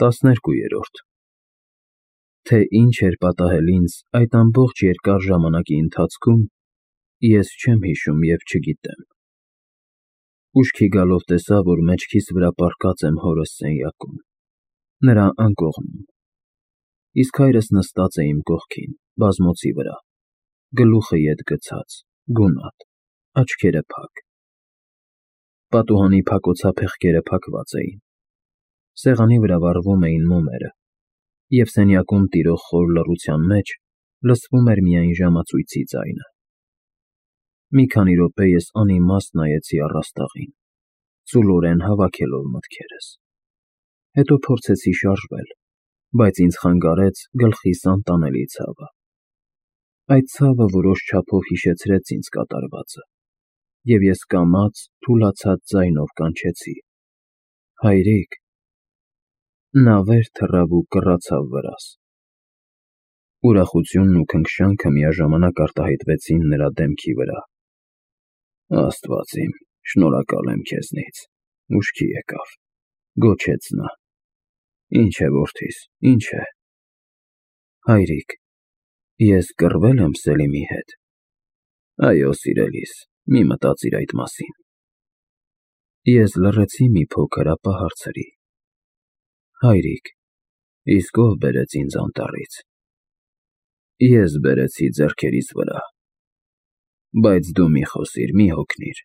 12-րդ Թե ինչ էր պատահել ինձ այդ ամբողջ երկար ժամանակի ընթացքում, ես չեմ հիշում և չգիտեմ։ Ուշքի գալով տեսա, որ մեջքիս վրա պառկած եմ հորս սենյակում, նրա անկողնում, իսկ հայրս նստած է իմ կողքին, բազմոցի վրա, գլուխը ետ գցած, գունատ, աչքերը փակ։ Պատուհանի փակոցափեղկերը փակված էին, սեղանի վրա վառվում էին մոմերը, և սենյակում տիրող խոր լռության մեջ լսվում էր միայն ժամացույցի ձայնը։ Մի քանի րոպե ես անիմաստ նայեցի առաստաղին, ծուլորեն հավաքելով մտքերս, հետո փորձեցի շարժվել, բայց ինձ խանգարեց գլխիս անտանելի ցավը։ Այդ ցավը որոշ չափով հիշեցրեց ինձ կատարվածը, և ես կամաց, թուլացած ձայնով կանչեցի. «Հայրիկ»։ Նա վեր թռավ ու կռացավ վրաս։ Ուրախությունն ու քնքշանքը միաժամանակ արտահայտվեցին նրա դեմքի վրա։ «Աստված իմ, շնորհակալ եմ քեզնից, ուշքի եկավ», գոչեց նա։ «Ինչ է, որդիս, ինչ է»։ «Հայրիկ, ես կռվե՞լ եմ Սելիմի հետ»։ «Այո, սիրելիս, մի մտածիր այդ մասին»։ Ես լռեցի մի փոքր, ապա հարցրի. «Հայրիկ, իսկ ով բերեց ինձ անտառից»։ «Ես բերեցի ձեռքերիս վրա»։ «Բայց դու մի խոսիր, մի հոգնիր»։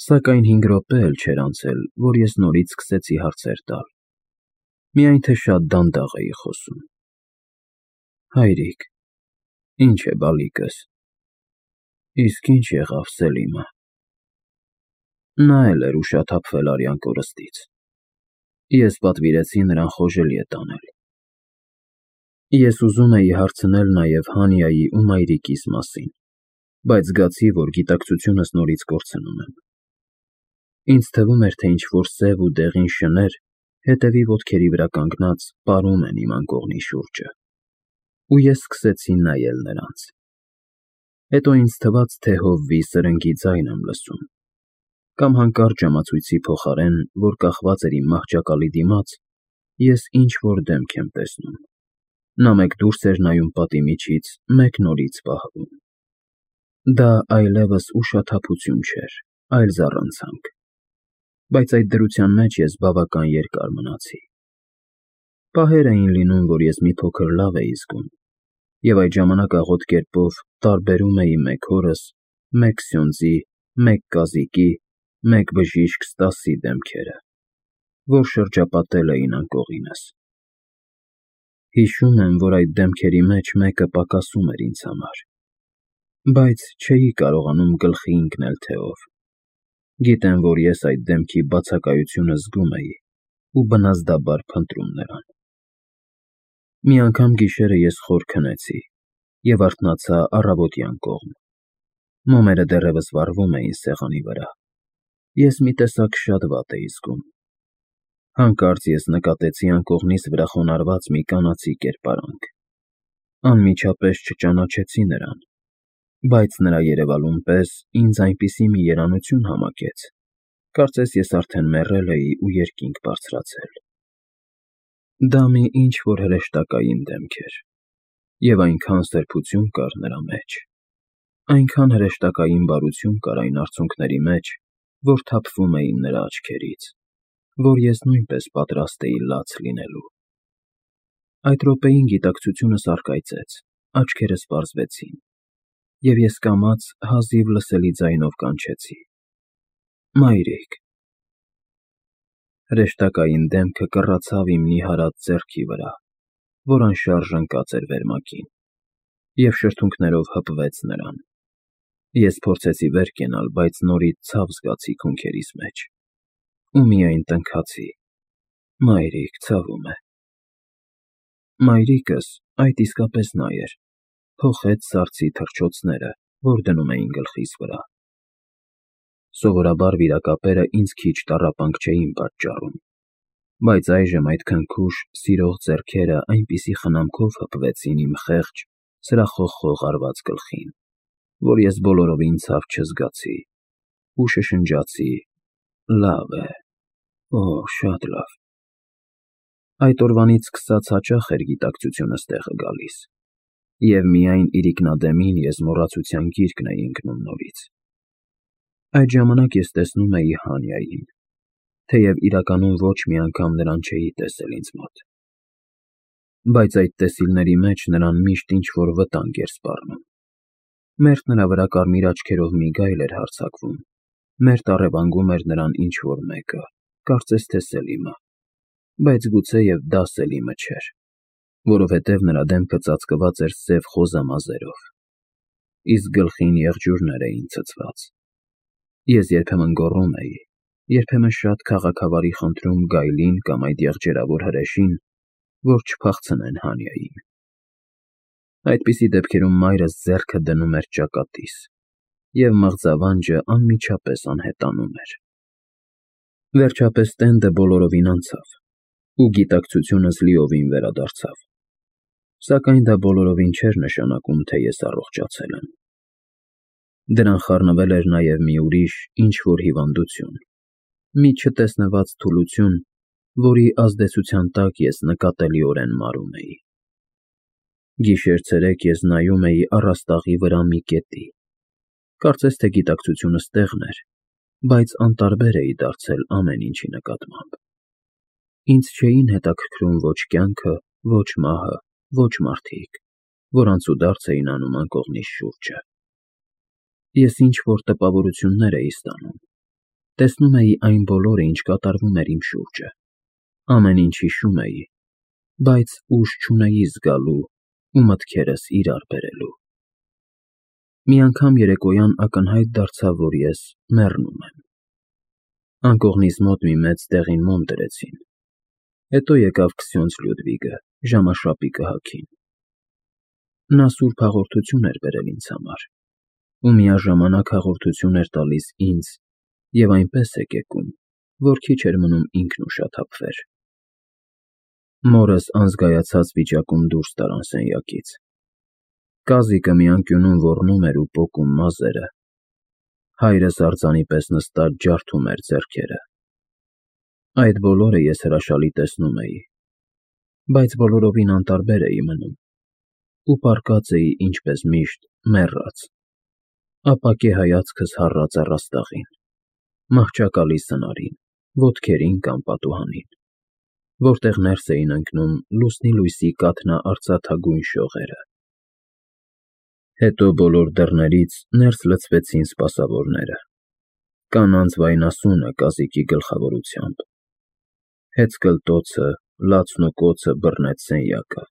Սակայն 5 րոպե էլ չէր անցել, որ ես նորից սկսեցի հարցեր տալ, միայն թե շատ դանդաղ էի խոսում։ «Հայրիկ, ինչ է բալիկս, իսկ ինչ եղավ Սելիմը»։ Նա էլ էր ուշաթափվել արյան կորստից։ Ես պատվիրեցի նրան խոժելիե տանել։ Ես ուզում էի հարցնել նաև Հանիայի ու մայրիկիս մասին, բայց զգացի, որ գիտակցությունս նորից կորցնում եմ։ Ինձ թվում էր, թե ինչ-որ սև ու դեղին շներ, հետևի ոտքերի վրա կանգնած, պարում են իմ անկողնի շուրջը, ու ես սկսեցի նայել նրանց։ Հետո ինձ թվաց, թե հովվի սրնգի ձայն եմ լսում, կամ հանկարծ ժամացույցի փոխարեն, որ կախված էր իմ մահճակալի դիմաց, ես ինչ-որ դեմք եմ տեսնում։ Նա մեկ դուրս էր նայում պատի միջից, մեկ նորից պահվում։ Դա այլևս ուշաթափություն չէր, այլ զառանցանք, բայց այդ դրության մեջ ես բավական երկար մնացի։ Պահեր էին լինում, որ ես մի փոքր լավ էի զգում, և այդ ժամանակ աղոտ կերպով տարբերում էի մեկ հորս, մեկ Սյոնձի, մեկ Կազիկի, մեկ բժիշկ Ստասի դեմքերը, որ շրջապատել էին անկողինս։ Հիշում եմ, որ այդ դեմքերի մեջ մեկը պակասում էր ինձ համար, բայց չէի կարողանում գլխի ընկնել, թե ով։ Գիտեմ, որ ես այդ դեմքի բացակայությունը զգում էի ու բնազդաբար փնտրում նրան։ Մի անգամ գիշերը ես խոր քնեցի և արթնացա առավոտյան կողմ։ Մոմերը դեռևս վառվում էին սեղանի վրա։ Ես մի տեսակ շատ վատ էի զգում։ Հանկարծ ես նկատեցի անկողնիս վրա խոնարհված մի կանացի կերպարանք։ Անմիջապես չճանաչեցի նրան, բայց նրա երևալուն պես ինձ այնպիսի մի երանություն համակեց, կարծես ես արդեն մեռել էի ու երկինք բարձրացել։ Դա մի ինչ-որ հրեշտակային դեմք էր, և այնքան սրբություն կար նրա մեջ, այնքան հրեշտակային բարություն կար այն արցունքների մեջ, որ թափվում էին նրա աչքերից, որ ես նույնպես պատրաստ էի լաց լինելու։ Այդ րոպեին գիտակցությունս առկայծեց, աչքերս պարզվեցին, և ես կամաց հազիվ լսելի ձայնով կանչեցի. «Մայրիկ»։ Հրեշտակային դեմքը կռացավ իմ նիհարած ձեռքի վրա, որ անշարժ ընկած էր վերմակին, և շրթունքներով հպվեց նրան։ Ես փորձեցի վեր կենալ, բայց նորից ցավ զգացի քունքերիս մեջ, ու միայն տնքացի. «Մայրիկ, ցավում է»։ Մայրիկս, այդ իսկապես նա էր, փոխեց սառցի թռչոցները, որ դնում էին գլխիս վրա։ Սովորաբար վիրակապերը ինձ քիչ տառապանք չէին պատճառում, բայց այժմ այդ քնքուշ, սիրող ձեռքերը այնպիսի խնամքով հպվեցին իմ խեղճ, սրախոխող արված գլխին, որ ես բոլորովին ցավ չզգացի ու շշնջացի. «Լավ է, օ, շատ լավ»։ Այդ օրվանից սկսած հաճախ էր գիտակցությունս տեղը գալիս, և միայն իրիկնադեմին ես մոռացության գիրկն էի ընկնում նորից։ Այդ ժամանակ ես տեսնում էի Հանյային, թեև իրականում ոչ մի անգամ նրան չէի տեսել ինձ մոտ։ Բայց այդ տեսիլների մեջ նրան միշտ ինչ-որ վտանգ էր սպառնում։ Մերթ նրա վրա կարմիր աչքերով մի գայլ էր հարձակվում, մերթ առևանգում էր նրան ինչ-որ մեկը, կարծես թե Սելիմը, բայց գուցեև դա Սելիմը չէր, որովհետև նրա դեմքը ծածկված էր սև խոզամազերով, իսկ գլխին եղջյուրներ էին ցցված։ Ես երբեմն գոռում էի, երբեմն շատ քաղաքավարի խնդրում գայլին կամ այդ եղջերավոր հրեշին, որ չփախցնեն Հանյային։ Այդպիսի դեպքերում մայրս ձեռքը դնում էր ճակատիս, և մղձավանջը անմիջապես անհետանում էր։ Վերջապես տենդը բոլորովին անցավ, ու գիտակցությունս լիովին վերադարձավ, սակայն դա բոլորովին չէր նշանակում, թե ես առողջացել եմ։ Դրան խառնվել էր նաև մի ուրիշ ինչ-որ հիվանդություն, մի չտեսնված թուլություն, որի ազդեցության տակ ես նկատելիորեն մարում էի։ Գիշեր-ցերեկ ես նայում էի առաստաղի վրա մի կետի, կարծես թե գիտակցությունս տեղն էր, բայց անտարբեր էի դարձել ամեն ինչի նկատմամբ։ Ինձ չէին հետաքրքրում ոչ կյանքը, ոչ մահը, ոչ մարդիկ, որ անցուդարձ էին անում անկողնիս շուրջը։ Ես ինչ-որ տպավորություններ էի ստանում, տեսնում էի այն բոլորը, ինչ կատարվում էր իմ շուրջը, ամեն ինչ հիշում էի, բայց ուժ չունեի զգալու ու մտքերս իրար բերելու։ Մի անգամ երեկոյան ակնհայտ դարձավ, որ ես մեռնում եմ։ Անկողնիս մոտ մի մեծ դեղին մոմ դրեցին, հետո եկավ Քսյոնց Լյուդվիգը ժամաշապիկը հագին։ Նա սուրբ հաղորդություն էր բերել ինձ համար, ու միաժամանակ հաղորդություն էր տալիս ինձ և այնպես հեկեկում, որ քիչ էր մնում ինքն ուշաթափվեր։ Մորս անզգայացած վիճակում դուրս տարան սենյակից։ Կազիկը մի անկյունում ոռնում էր ու պոկում մազերը, հայրս արձանի պես նստած ջարդում էր ձեռքերը։ Այդ բոլորը ես հրաշալի տեսնում էի, բայց բոլորովին անտարբեր էի մնում ու պառկած էի ինչպես միշտ մեռած, ապակե հայացքս հառած առաստաղին, մահճակալի սնարին, ոտքերին կամ պատուհանին, որտեղ ներս էին ընկնում լուսնի լույսի կաթնաարծաթագույն շողերը։ Հետո բոլոր դռներից ներս լցվեցին սպասավորները, կանանց վայնասունը կազիկի գլխավորությամբ, հեծկլտոցը, լացն ու կոծը բռնեց սենյակը,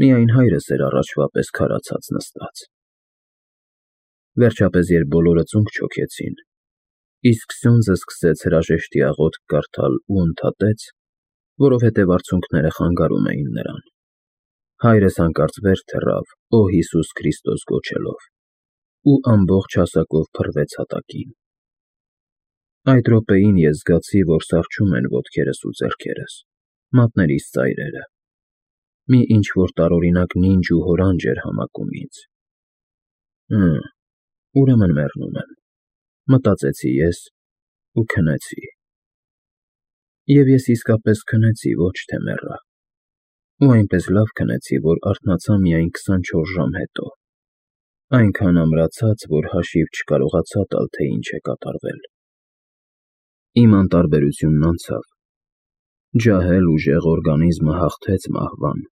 միայն հայրս էր առաջվա պես քարացած նստած։ Վերջապես, երբ բոլորը ծունկ չոքեցին, իսկ Քսյոնձը սկսեց հրաժեշտի աղոթք կարդալ ու ընդհատեց, որովհետև արցունքները խանգարում էին նրան, հայրս հանկարծ վեր թռավ «Ո Հիսուս Քրիստոս» գոչելով ու ամբողջ հասակով փռվեց հատակին։ Այդ րոպեին ես զգացի, որ սառչում են ոտքերս ու ձեռքերս, մատներիս ծայրերը, մի ինչ-որ տարօրինակ նինջ ու հորանջ էր համակում ինձ։ Ուրեմն մեռնում եմ, մտածեցի ես ու քնեցի։ Եվ ես իսկապես քնեցի, ոչ թե մեռա, ու այնպես լավ քնեցի, որ արթնացա միայն 24 ժամ հետո, այնքան ամրացած, որ հաշիվ չկարողացա տալ, թե ինչ է կատարվել։ Իմ անտարբերությունն անցավ, ջահել ուժեղ օրգանիզմը հաղթեց մահվան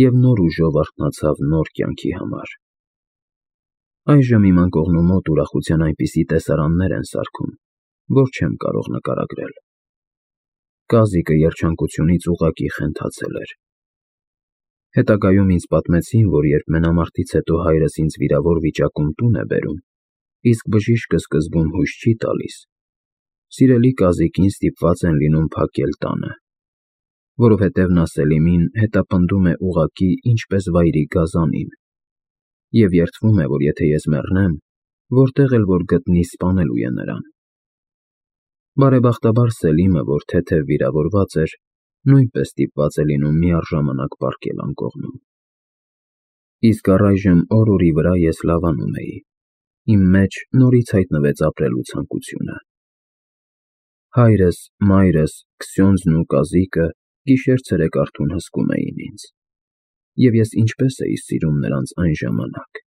և նոր ուժով արթնացավ նոր կյանքի համար։ Այժմ իմ անկողնու մոտ ուրախության այնպիսի տեսարաններ են սարքում, որ չեմ կարող նկարագրել։ Կազիկը երջանկությունից ուղղակի խենթացել էր։ Հետագայում ինձ պատմեցին, որ երբ մենամարտից հետո հայրս ինձ վիրավոր վիճակում տուն է բերում, իսկ բժիշկը սկզբում հույս չի տալիս, սիրելի կազիկին ստիպված են լինում փակել տանը, որովհետև նա Սելիմին հետապնդում է ուղղակի ինչպես վայրի գազանին և երդվում է, որ եթե ես մեռնեմ, որտեղ էլ որ գտնի, սպանելու է նրան։ Բարեբախտաբար Սելիմը, որ թեթև վիրավորված էր, նույնպես ստիպված է լինում միառժամանակ պառկել անկողնում։ Իսկ առայժմ օր-օրի վրա ես լավանում էի, իմ մեջ նորից հայտնվեց ապրելու ցանկությունը։ Հայրս, մայրս, Քսյոնձն ու կազիկը գիշեր-ցերեկ արթուն հսկում էին ինձ, և ես ինչպես էի սիրում նրանց այն ժամանակ,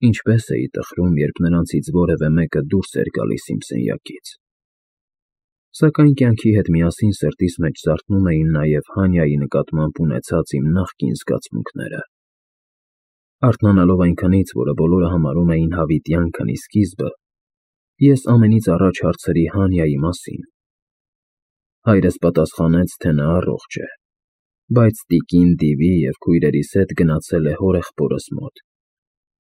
ինչպես էի տխրում, երբ նրանցից որևէ մեկը դուրս էր գալիս իմ սենյակից։ Սակայն կյանքի հետ միասին սրտիս մեջ զարթնում էին նաև Հանյայի նկատմամբ ունեցած իմ նախկին զգացմունքները։ Արթնանալով այնքանից, որը բոլորը համարում էին հավիտյան քնի սկիզբը, ես ամենից առաջ հարցրի Հանյայի մասին։ Հայրս պատասխանեց, թե նա առողջ է, բայց տիկին Դիվի և քույրերիս հետ գնացել է հորեղբորս մոտ,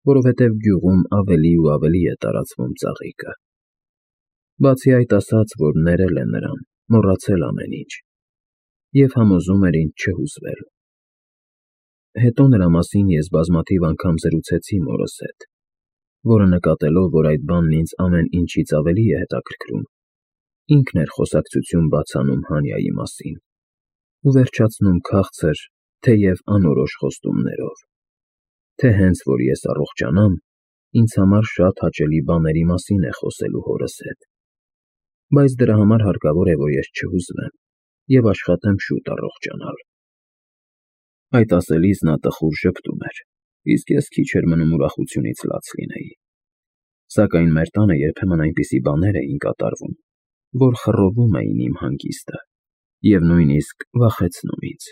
որովհետև գյուղում ավելի ու ավելի է տարածվում ծաղիկը։ Բացի այդ ասաց, որ ներել է նրան, մոռացել ամեն ինչ, և համոզում էր ինձ չհուզվել։ Հետո նրա մասին ես բազմաթիվ անգամ զրուցեցի մորս հետ, որը նկատելով, որ այդ բանն ինձ ամեն ինչից ավելի է հետաքրքրում, ինքն էր խոսակցություն բաց անում Հանյայի մասին ու վերջացնում քաղցր, թեև անորոշ խոստումներով, թե հենց որ ես առողջանամ, ինձ համար շատ հաճելի բաների մասին է խոսելու հորս հետ, բայց դրա համար հարկավոր է, որ ես չհուզվեմ և աշխատեմ շուտ առողջանալ։ Այդ ասելիս նա տխուր ժպտում էր, իսկ ես քիչ էր մնում ուրախությունից լաց լինեի։ Սակայն մեր տանը երբեմն այնպիսի բաներ էին կատարվում, որ խռովում էին իմ հանգիստը և նույնիսկ վախեցնում ինձ։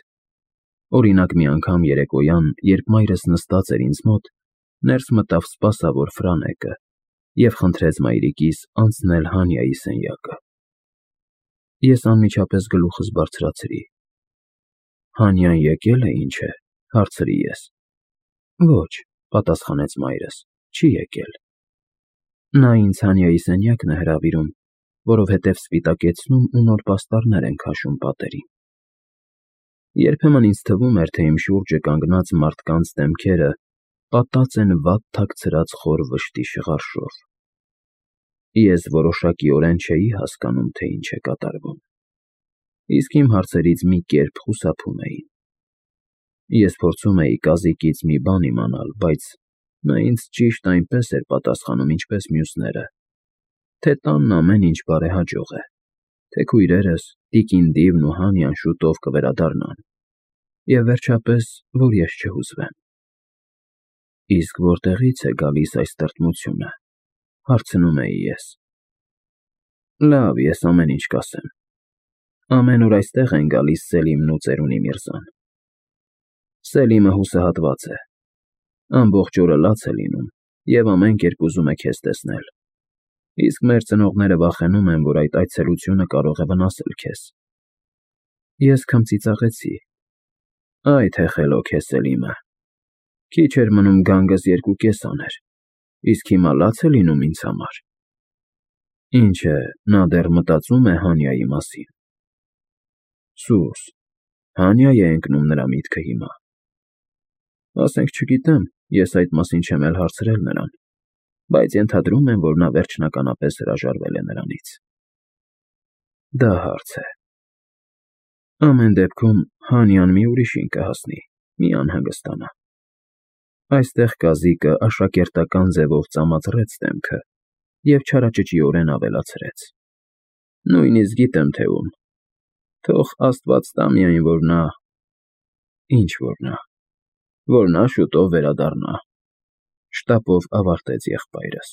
Օրինակ, մի անգամ երեկոյան, երբ մայրս նստած էր ինձ մոտ, ներս մտավ սպասավոր Ֆրանեկը և խնդրեց մայրիկիս անցնել Հանյայի սենյակը։ Ես անմիջապես գլուխս բարձրացրի։ Հանյան եկե՞լ է, ինչ է, հարցրի ես։ Ոչ, պատասխանեց մայրս, չի եկել։ Նա ինձ Հանյայի սենյակն է հրավիրում, որովհետև սպիտակեցնում ու նոր պաստառներ են քաշում պատերին։ Երբեմն ինձ թվում էր, թե իմ շուրջը կանգնած մարդկանց դեմքերը պատած են վատ թաքցրած խոր վշտի շղարշով։ Ես որոշակիորեն չէի հասկանում, թե ինչ է կատարվում, իսկ իմ հարցերից մի կերպ խուսափում էին։ Ես փորձում էի կազիկից մի բան իմանալ, բայց նա ինձ ճիշտ այնպես էր պատասխանում, ինչպես մյուսները, թե տանն ամեն ինչ բարեհաջող է, թե քույրերս, տիկին Դիվն ու Հանյան շուտով կվերադառնան, և վերջապես, որ ես չհուզվեմ։ Իսկ որտեղի՞ց է գալիս այս տրտմությունը, հարցնում էի ես։ Լավ, ես ամեն ինչ կասեմ։ Ամեն օր այստեղ են գալիս Սելիմն ու ծերունի Միրզան։ Սելիմը հուսահատված է, ամբողջ օրը լաց է լինում և ամեն կերպ ուզում է քեզ տեսնել, իսկ մեր ծնողները վախենում են, որ այդ այցելությունը կարող է վնասել քեզ։ Ես քմծիծաղեցի. Այ թե խելոք է Սելիմը, քիչ էր մնում գանգս 2.5 աներ, իսկ հիմա լաց է լինում ինձ համար։ Ինչ է, նա դեռ մտածում է Հանյայի մասին։ Սուս, Հանյա է ընկնում նրա միտքը հիմա։ Ասենք, չգիտեմ, ես այդ մասին չեմ էլ հարցրել նրան, բայց ենթադրում եմ, որ նա վերջնականապես հրաժարվել է նրանից։ Դա հարց է։ Ամեն դեպքում Հանյան մի ուրիշին կհասնի, մի անհանգստանա։ Այստեղ կազիկը աշակերտական ձևով ծամացրեց դեմքը և չարաճճիորեն ավելացրեց. Նույնիսկ գիտեմ, թե ում։ Թող Աստված տա միայն, որ նա… Ինչ որ նա շուտով վերադառնա, շտապով ավարտեց եղբայրս։